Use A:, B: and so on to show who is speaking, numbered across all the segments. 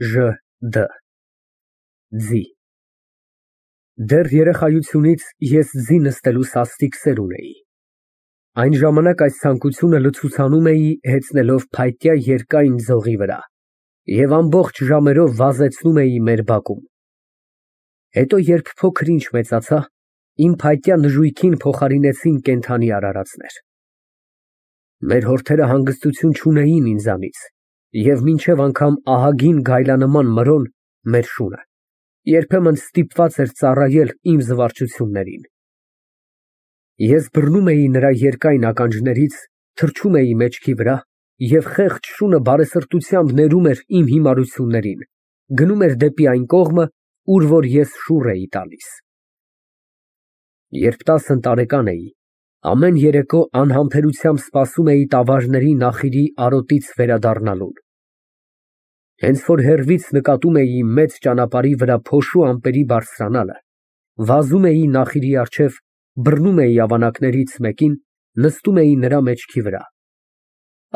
A: Ժ. Ձի։ Դեռ երեխայությունից ես ձի նստելու սաստիկ սեր ունեի։ Այն ժամանակ այս ցանկությունը լցուցանում էի հեծնելով փայտյա երկայն ձողի վրա և ամբողջ ժամերով վազեցնում էի մեր բակում։ Հետո, երբ փոքր-ինչ մեծացա, իմ փայտյա նժույգին փոխարինեցին կենդանի արարածներ։ Մեր հորթերը հանգստություն չունեին ինձանից և մինչև անգամ ահագին գայլանման Մրոն, մեր շունը, երբեմն ստիպված էր ծառայել իմ զվարճություններին։ Ես բռնում էի նրա երկայն ականջներից, թռչում էի մեջքի վրա և խեղճ շունը բարեսրտությամբ ներում էր իմ հիմարություններին, գնում էր դեպի այն կողմը, ուր որ ես շուռ էի տալիս։ Երբ 10 տարեկան էի, ամեն երեկո անհամբերությամբ սպասում էի տավարների նախիրի արոտից վերադառնալուն։ Հենց որ հեռվից նկատում էի մեծ ճանապարհի վրա փոշու ամպերի բարձրանալը, վազում էի նախիրի առջև, բռնում էի ավանակներից մեկին, նստում էի նրա մեջքի վրա։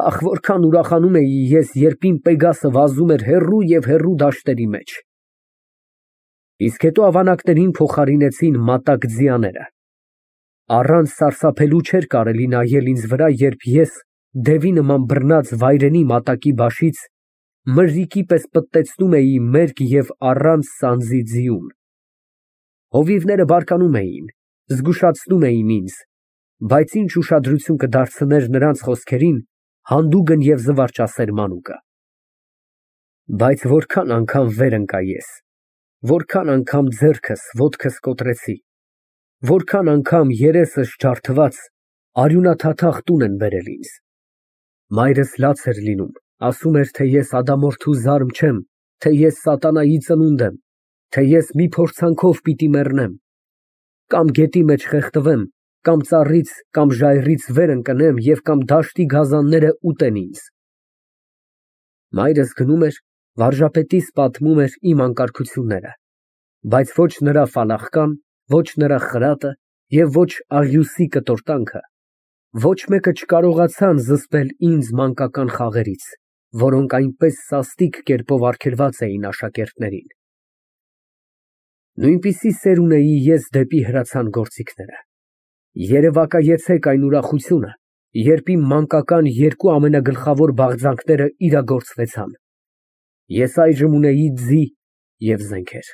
A: Ախ, որքան ուրախանում էի ես, երբ իմ Պեգասը վազում էր հեռու և հեռու դաշտերի մեջ։ Իսկ հետո ավանակներին փոխարինեցին մատակ ձիաները։ Առանց սարսափելու չէր կարելի նայել ինձ վրա, երբ ես, դևի նման բռնած վայրենի մատակի բաշից, մրրիկի պես պտտեցնում էի մերկ և առանց սանձի ձիուն։ Հովիվները բարկանում էին, զգուշացնում էին ինձ, բայց ինչ ուշադրություն կդարձներ նրանց խոսքերին, հանդուգն և զվարճասեր մանուկը։ Բայց որքան անգամ վեր ընկա ես, որքան անգամ ձեռքս, ոտքս կոտրեցի, որքան անգամ երեսս ջարդված, արյունաթաթախ տուն են բերել ինձ։ Մայրս լաց էր լինում, ասում էր, թե ես ադամորդու զարմ չեմ, թե ես սատանայի ծնունդ եմ, թե ես մի փորձանքով պիտի մեռնեմ, կամ գետի մեջ խեղդվեմ, կամ ծառից կամ ժայռից վեր ընկնեմ և կամ դաշտի գազանները ուտեն ինձ։ Մայրս գնում էր, վարժապետիս պատմում էր իմ անկարգությունները, բայց ոչ նրա ֆալախկան, ոչ նրա խրատը և ոչ աղյուսի կտորտանքը, ոչ մեկը չկարողացան զսպել ինձ մանկական խաղերից, որոնք այնպես սաստիկ կերպով արգելված էին աշակերտներին։ Նույնպիսի սեր ունեի ես դեպի հրացան գործիքները։ Երևակայեցեք այն ուրախությունը, երբ իմ մանկական երկու ամենագլխավոր բաղձանքները իրագործվեցան։ Ես այժմ ունեի ձի և զենքեր։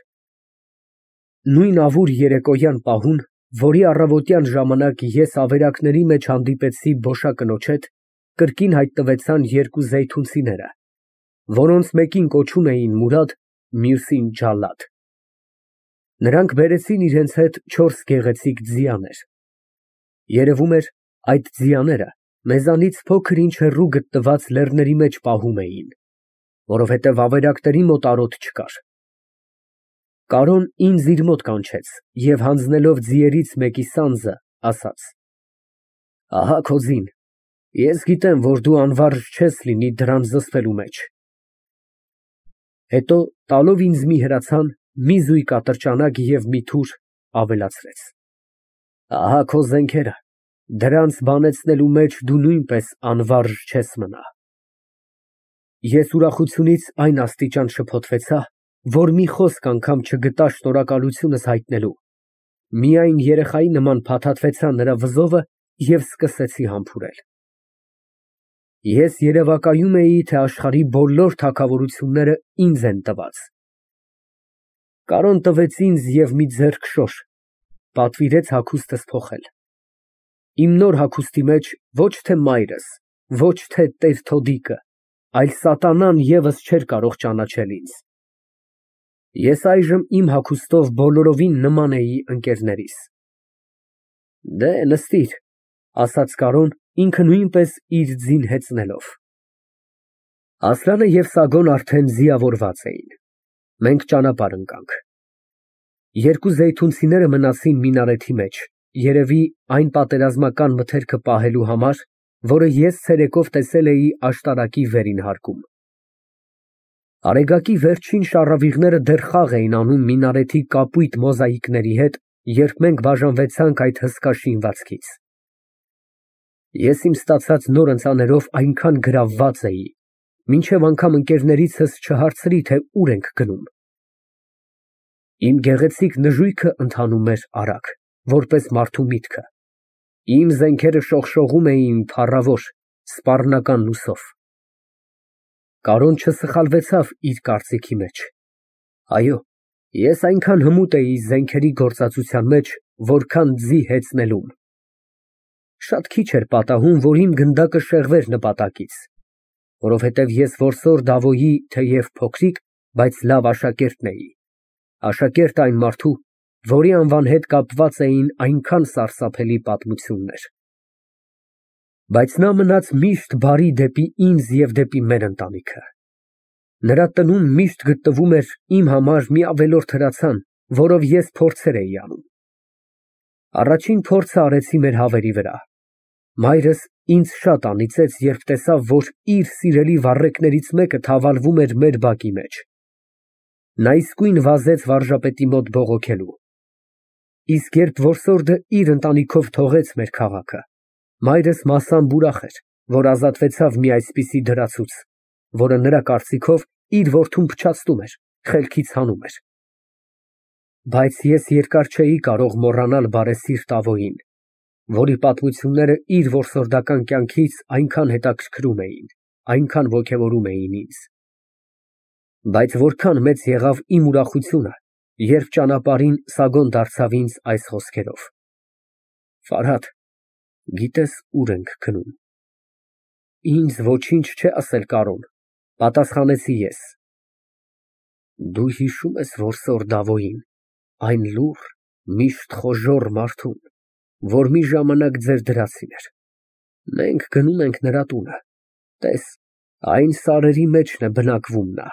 A: Նույն ավուր երեկոյան պահուն, որի առավոտյան ժամանակ ես ավերակների մեջ հանդիպեցի բոշակնոջ հետ, կրկին հայտնվեցան երկու զեյթունցիները, որոնց մեկին կոչում էին Մուրադ, մյուսին Ջալլադ։ Նրանք բերեցին իրենց հետ 4 գեղեցիկ ձիաներ։ Երևում էր, այդ ձիաները մեզանից փոքր-ինչ հեռու գտնված լեռների մեջ պահում էին, որովհետև ավերակների մոտ արոտ չկար։ Կարոն ինձ իր մոտ կանչեց և հանձնելով ձիերից մեկի սանձը, ասաց. Ահա քո ձին, ես գիտեմ, որ դու անվարժ չես լինի դրան զսպելու մեջ։ Հետո տալով ինձ մի հրացան, մի զույգ ատրճանակ և մի թուր, ավելացրեց. Ահա քո զենքերը, դրանց բանեցնելու մեջ դու նույնպես անվարժ չես մնա։ Ես ուրախությունից այն աստիճան շփոթվեցա, որ մի խոսք անգամ չգտա շնորհակալությունս հայտնելու, միայն երեխայի նման փաթաթվեցա նրա վզովը և սկսեցի համբուրել։ Ես երևակայում էի, թե աշխարհի բոլոր թագավորությունները ինձ են տված։ Կարոն տվեց ինձ և մի ձեռք շոր, պատվիրեց հագուստս փոխել։ Իմ նոր հագուստի մեջ ոչ թե մայրս, ոչ թե տեր Թոդիկը, այլ սատանան ևս չէր կարող ճանաչել ինձ։ Ես այժմ իմ հագուստով բոլորովին նման էի ընկերներիս։ Դե, նստիր, ասաց Կարոն, ինքը նույնպես իր ձին հեծնելով։ Ասլանը և Սագոն արդեն ձիավորված էին։ Մենք ճանապարհ ընկանք։ Երկու զեյթունցիները մնացին մինարեթի մեջ, երևի այն պատերազմական մթերքը պահելու համար, որը ես ցերեկով տեսել էի աշտարակի վերին հարկում։ Արեգակի վերջին շառավիղները դեռ խաղ էին անում մինարեթի կապույտ մոզաիկների հետ, երբ մենք բաժանվեցանք այդ հսկա շինվածքից։ Ես իմ ստացած նոր ընծաներով այնքան գրավված էի, Մինչև անգամ ընկերներիցս չհարցրի, թե ուր ենք գնում։ Իմ գեղեցիկ նժույգը ընթանում էր արագ, որպես մարդու միտքը։ Իմ զենքերը շողշողում էին փառավոր, սպառնական լուսով։ Կարոն չսխալվեցավ իր կարծիքի մեջ։ Այո, ես այնքան հմուտ էի զենքերի գործածության մեջ, որքան ձի հեծնելուն։ Շատ քիչ էր պատահում, որ իմ գնդակը շեղվեր նպատակից, որովհետև ես որսոր Դավոյի թեև փոքրիկ, բայց լավ աշակերտն էի, աշակերտ այն մարդու, որի անվան հետ կապված էին այնքան սարսափելի պատմություններ։ Բայց նա մնաց միշտ բարի դեպի ինձ և դեպի մեր ընտանիքը։ Նրա տնում միշտ գտնվում էր իմ համար մի ավելորդ հրացան, որով ես փորձեր էի անում։ Առաջին փորձը արեցի մեր հավերի վրա։ Մայրս ինձ շատ անիծեց, երբ տեսավ, որ իր սիրելի վառեկներից մեկը թավալվում էր մեր բակի մեջ։ Նա իսկույն վազեց վարժապետի մոտ բողոքելու։ Իսկ երբ որսորդը իր ընտանիքով թողեց մեր քաղաքը, մայրս մասամբ ուրախ էր, որ ազատվեցավ մի այսպիսի դրացուց, որը նրա կարծիքով իր որդուն փչացնում էր, խելքից հանում էր։ Բայց ես երկար չէի կարող մոռանալ բարեսիրտ Ավոյին, որի պատմությունները իր որսորդական կյանքից այնքան հետաքրքրում էին, այնքան ոգևորում էին ինձ։ Բայց որքան մեծ եղավ իմ ուրախությունը, երբ ճանապարհին Սագոն դարձավ ինձ այս խոսքերով. Ֆարհադ, գիտես ուր ենք գնում։ Ինձ ոչինչ չէ ասել Կարոն, պատասխանեցի ես։ Դու հիշում ես որսոր Դավոյին, այն լուռ, միշտ խոժոռ մարդուն, որ մի ժամանակ ձեր դրացին էր։ Մենք գնում ենք նրա տունը, տես, այն սարերի մեջն է բնակվում նա։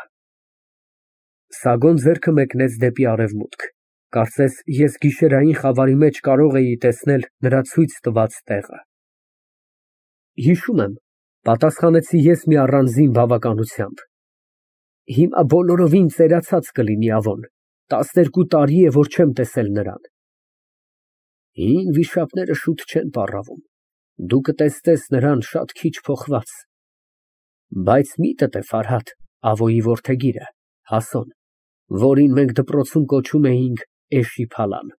A: Սագոն ձեռքը մեկնեց դեպի արևմուտք, կարծես ես գիշերային խավարի մեջ կարող էի տեսնել նրա ցույց տված տեղը։ Հիշում եմ, պատասխանեցի ես մի առանձին բավականությամբ։ Հիմա բոլորովին ծերացած կլինի Ավոն, 12 տարի է, որ չեմ տեսել նրան։ Հին վիշապները շուտ չեն պառավում, դու կտեսնես նրան շատ քիչ փոխված։ Բայց միտդ է, Ֆարհադ, Ավոյի որդեգիրը, Հասոն, որին մենք դպրոցում կոչում էինք Էշի֊Փալան,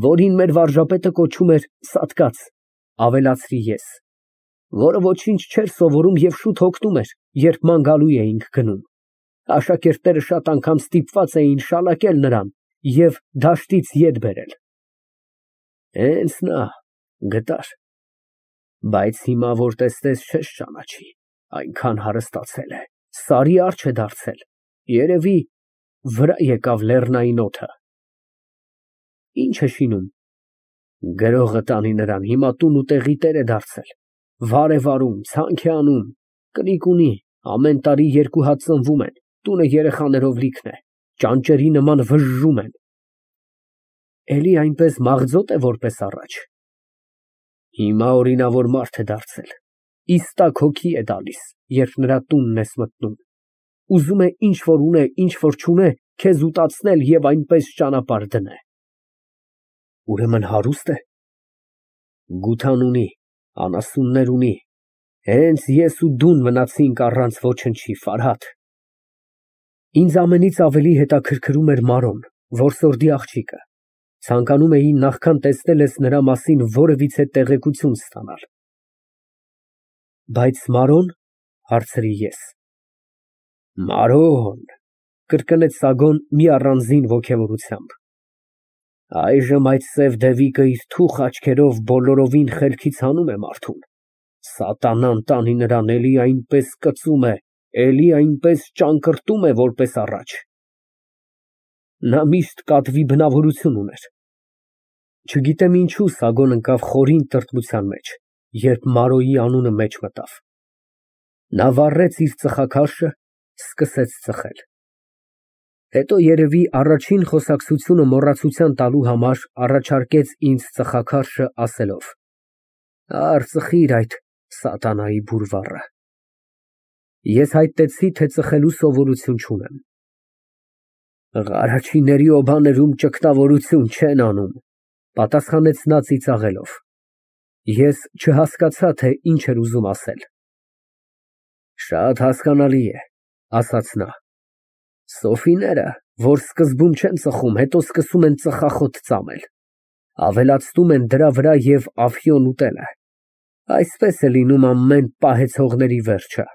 A: որին մեր վարժապետը կոչում էր Սատկած, ավելացրի ես, որը ոչինչ չէր սովորում և շուտ հոգնում էր, երբ ման գալու էինք գնում։ Աշակերտները շատ անգամ ստիպված էին շալակել նրան և դաշտից ետ բերել։ Հենց նա, գտար։ Բայց հիմա որ տեսնես չես ճանաչի, այնքան հարստացել է, սարի արջ է դարձել, երևի վրա եկավ լեռնային օդը։ Ինչ է շինում։ Գրողը տանի նրան, հիմա տուն ու տեղի տեր է դարձել, վար է վարում, ցանք է անում, կնիկ ունի, ամեն տարի 2 հատ ծնվում են, տունը երեխաներով լիքն է, ճանճերի նման վժժում են։ Էլի այնպես մաղձոտ է, որպես առաջ։ Հիմա օրինավոր մարդ է դարձել, իստակ հոգի է տալիս, երբ նրա տունն ես մտնում, ուզում է ինչ որ ունե, ինչ որ չունե, քեզ ուտացնել և այնպես ճանապարհ դնե։ Ուրեմն հարուստ է։ Գութան ունի, անասուններ ունի, հենց ես ու դուն մնացինք առանց ոչնչի, Ֆարհադ։ Ինձ ամենից ավելի հետաքրքրում էր Մարոն, որսորդի աղջիկը, ցանկանում էի նախքան տեսնել ես նրա մասին որևիցե տեղեկություն ստանալ։ Բայց Մարոն, հարցրի ես։ Մարոն, կրկնեց Սագոն մի առանձին ոգևորությամբ։ Այժմ այդ սև դևիկը իր թուխ աչքերով բոլորովին խելքից հանում է մարդուն։ Սատանան տանի նրան, էլի այնպես կծում է, էլի այնպես ճանկռտում է, որպես առաջ։ Նա միշտ կատվի բնավորություն ուներ։ Չգիտեմ ինչու Սագոն ընկավ խորին տրտմության մեջ, երբ Մարոյի անունը մեջ մտավ։ Նա վառեց իր ծխախարշը, սկսեց ծխել։ Հետո երևի առաջին խոսակցությունը մոռացության տալու համար առաջարկեց ինձ ծխախարշը, ասելով. Արծխիր այդ սատանայի բուրվառը։ Ես հայտնեցի, թե ծխելու սովորություն չունեմ։ Ղարաչիների օբաներում ճգնավորություն չեն անում, պատասխանեց նա ծիծաղելով։ Ես չհասկացա, թե ինչ էր ուզում ասել։ Շատ հասկանալի է, ասաց նա։ Սոֆիները, որ սկզբում չեն ծխում, հետո սկսում են ծխախոտ ծամել, ավելացնում են դրա վրա և աֆիոն ուտելը, այսպես է լինում ամեն պահեցողների վերջը։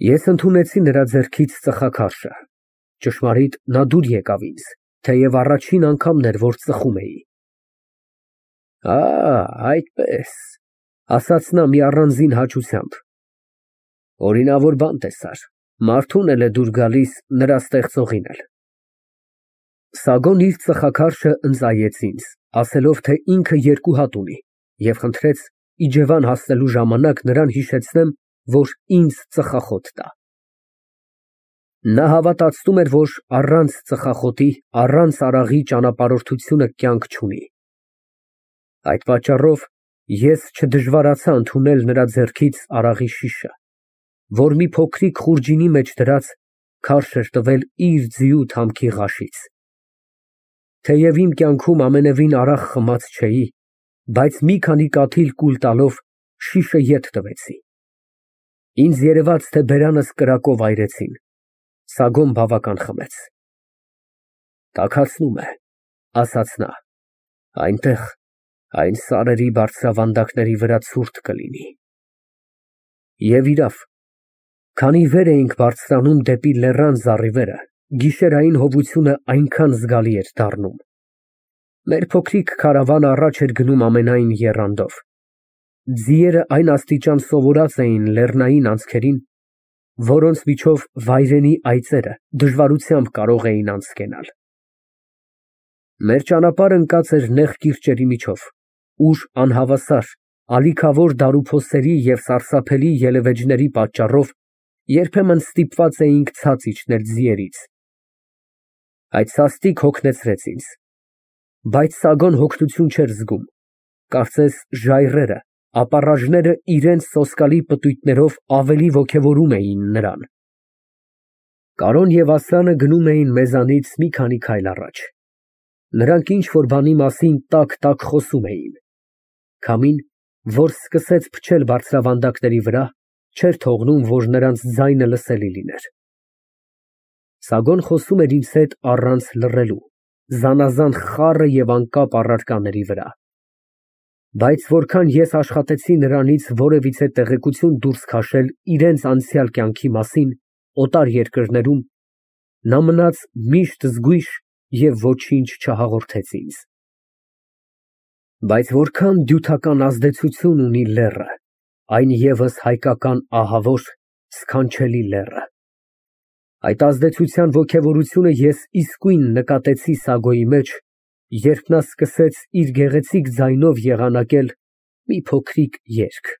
A: Ես ընդունեցի նրա ձեռքից ծխաքարշը, ճշմարիտ նա դուր եկավ ինձ, թեև առաջին անգամն էր, որ ծխում էի։ Այդպես, ասաց նա մի առանձին հաճությամբ, օրինավոր բան տեսար, մարդուն էլ է դուր գալիս նրա ստեղծողին էլ։ Սագոն իր ծխաքարշը ընծայեց ինձ, ասելով, թե ինքը երկու հատ ունի, և խնդրեց իջևան հասնելու ժամանակ նրան հիշեցնեմ, որ ինձ ծխախոտ տա։ Նա հավատացնում էր, որ առանց ծխախոտի, առանց արաղի ճանապարհորդությունը կյանք չունի։ Այդ պատճառով ես չդժվարացա ընդունել նրա ձեռքից արաղի շիշը, որ մի փոքրիկ խուրջինի մեջ դրած քարշ էր տվել իր ձիու թամքի ղաշից։ Թեև իմ կյանքում ամենևին արաղ խմած չէի, բայց մի քանի կաթիլ կուլ տալով շիշը ետ տվեցի։ Ինձ երևաց, թե բերանս կրակով այրեցին, Սագոն բավական խմեց։ Տաքացնում է, ասաց նա, այնտեղ, այն սարերի բարձրավանդակների վրա ցուրտ կլինի։ Եվ իրավ, քանի վեր էինք բարձրանում դեպի լեռան զառիվերը, գիշերային հովությունը այնքան զգալի էր դառնում։ Մեր փոքրիկ քարավանը առաջ էր գնում ամենայն եռանդով։ Ձիերը այն աստիճան սովորած էին լեռնային անցքերին, որոնց միջով վայրենի այծերը դժվարությամբ կարող էին անցկենալ։ Մեր ճանապարհը ընկած էր նեղ կիրճերի միջով, ուր անհավասար, ալիքավոր դարուփոսերի և սարսափելի ելևէջների պատճառով երբեմն ստիպված էինք ցած իջնել ձիերից։ Այդ սաստիկ հոգնեցրեց ինձ, բայց Սագոն հոգնություն չէր զգում, կարծես ժայռերը, ապառաժները իրենց սոսկալի պտույտներով ավելի ոգևորում էին նրան։ Կարոն և Ասլանը գնում էին մեզանից մի քանի քայլ առաջ։ Նրանք ինչ-որ բանի մասին տակ խոսում էին։ Քամին, որ սկսեց փչել բարձրավանդակների վրա, չէր թողնում, որ նրանց ձայնը լսելի լիներ։ Սագոն խոսում էր ինձ հետ առանց լռելու, զանազան խառը և անկապ առարկաների վրա։ Բայց որքան ես աշխատեցի նրանից որևիցե տեղեկություն դուրս քաշել իրենց անցյալ կյանքի մասին օտար երկրներում, նա մնաց միշտ զգույշ և ոչինչ չհաղորդեց ինձ։ Բայց որքան դյութական ազդեցություն ունի լեռը, այն ևս հայկական ահավոր, սքանչելի լեռը։ Այդ ազդեցության ոգևորությունը ես իսկույն նկատեցի Սագոյի մեջ, երբ նա սկսեց իր գեղեցիկ ձայնով եղանակել մի փոքրիկ երգ։